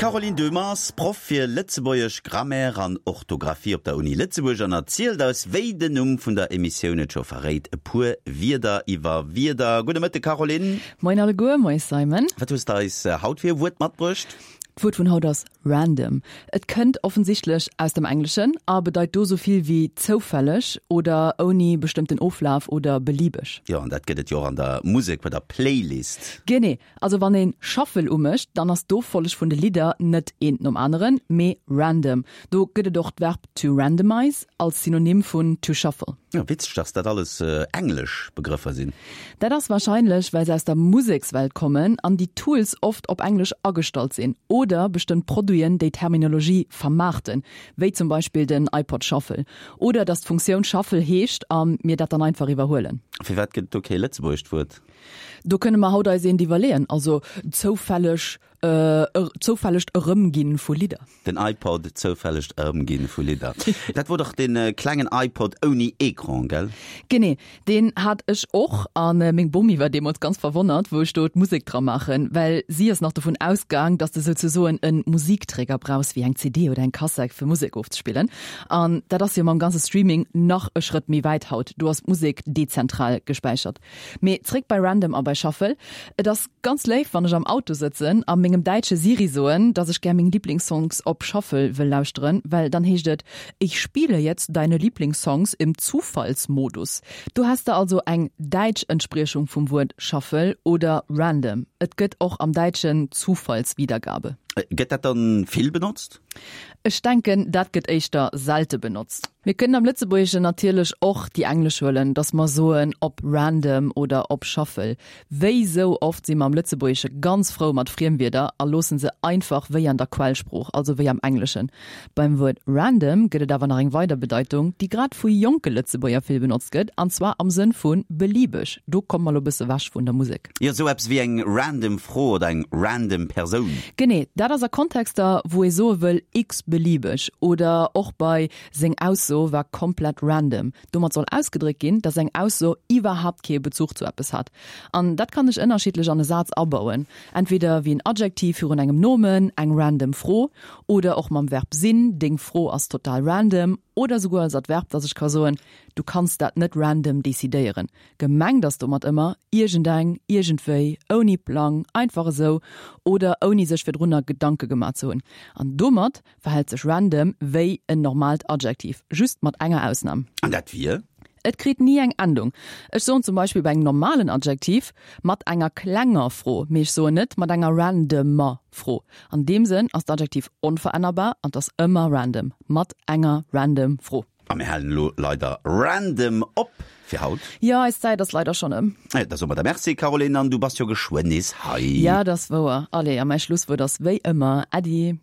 D'Caroline Döhmer ass Proff fir Lëtzebuergesch Grammaire an Orthografie op der Uni Lëtzebuerg an erzielt eis, wéi den Numm vun der Emissioun et scho verréit, e puer Wierder iwwer Wierder. Gudde Mëtte Caroline. Moien alleguer, moie Simon. Wat hues de eis haut fir e Wuert matbruecht? D'Wuert vun haut ass random. Et kënnt offensichtlech aus dem Engleschen a bedeit do sou vill wéi zoufälleg oder ouni bestëmmten Oflaf oder beliebeg. Jo, an dat gëtt et jo och an der Musek bei der Playlist. Genee. Also wann een Shuffle umécht, dann ass d'Offolleg vun de Lidder net eent nom aneren, mee random. Do gëtt et och d'Verb to randomize als Synonym vun to shuffle. Jo, witzeg, dass dat alles englesch Begrëffer sinn. Dat ass warscheinlech, well se aus der Musekswelt kommen an déi Tools oft op Englesch agestallt sinn oder bestëmmt Produiten déi Terminologie vermaarten, wéi zum Beispill den iPod Shuffle. Oder dass d'Funktioun Shuffle heescht a mir dat dann einfach iwwerhuelen. Firwat gëtt et do kee lëtzebuergescht Wuert? Do kënne mer haut eis eent iwwerleeën, also zoufälleg, zoufällegt Erëmginn vu Lidder. Den iPod, zoufällegt Erëmginn vu Lidder. Dat wor dach dee klengen iPod ouni Ecran, gell? Genee, deen hat ech och a meng Bomi war deemools ganz verwonnert, wou ech do d'Musek dra maachen, well si ass nach dovun ausgaang, dass de souzesoen e Musikträger brauchs, wéi eng CD oder eng Kassett, fir Musek ofzespillen. An dat ass jo mam ganze Streaming nach e Schrëtt méi wäit haut, do ass d'Musek dezentral gespäichert. Mee zréck bei Random a bei Shuffle, Et ass ganz léif, wann ech am Auto sëtzen a mengem däitsche Siri soen, dass ech gär meng Lieblingssongs op Shuffle wëll lauschteren, well dann heescht et, Ich spiele jetzt deine Lieblingssongs im Zufallsmodus. Do häss de also eng däitsch Entspriechung vum Wuert Shuffle oder Random. Et gëtt och am Däitschen Zufallswiedergabe. Gëtt dat dann vill benotzt? Ech denken, dat gëtt éischter selte benotzt. Mir kënnen am Lëtzebuergeschen natierlech och déi englesch huelen, datt mer soen op random oder op shuffle. Wéi sou oft si mer am Lëtzebuergesche ganz frou mat Friemwierder a loosse se einfach wéi an der Quellsprooch, also wéi am Engleschen. Beim Wuert random gëtt et awer nach eng weider Bedeitung, déi grad vu jonke Lëtzebuerger vill benotzt gëtt, an zwar am Sënn vu beliebeg. Do komme mer lo bësse wech vun der Musek. Jo, sou eppes wéi eng random Fro oder eng random Persoun. Genee, dat ass a Kontexter, wou ee soe wëll x-beliebeg oder och bei seng Ausso war komplett random. Domat soll ausgedréckt ginn, dass eng Ausso iwwerhaapt kee Bezuch zu eppes hat. An dat kann ech ënnerschiddlech an e Saz abauen, entweder wéi en Adjektiv virun engem Nomen, eng random Fro, oder och mam Verb sinn, deng Fro ass total random, oder souguer als Adverb, dass ech ka soen, du kanns dat net random decidéieren. Gemengt ass domat ëmmer, iergendeng, iergendwéi, ouni Plang, einfach esou oder ouni sech virdrunner Gedanke gemaach ze hunn. An domat verhält sech random wéi en normaalt Adjektiv, just mat enger Ausnam. An dat wier? Et kritt ni eng Endung. Ech soen zum Beispill bei engem normalen Adjektiv mat enger klenger Fro, mee ech soen net mat enger randomer Fro. An deem Sënn ass d'Adjektiv onverännerbar an 't ass ëmmer random mat enger random Fro. A mir halen elo leider random op fir haut. Jo, eis Zäit ass leider schonn ëm. Da soe mer der Merci, Caroline, an du bass jo geschwënn nees hei. Jo, dat ass wouer. Allez, a mäi Schlusswuert ass wéi ëmmer Äddi.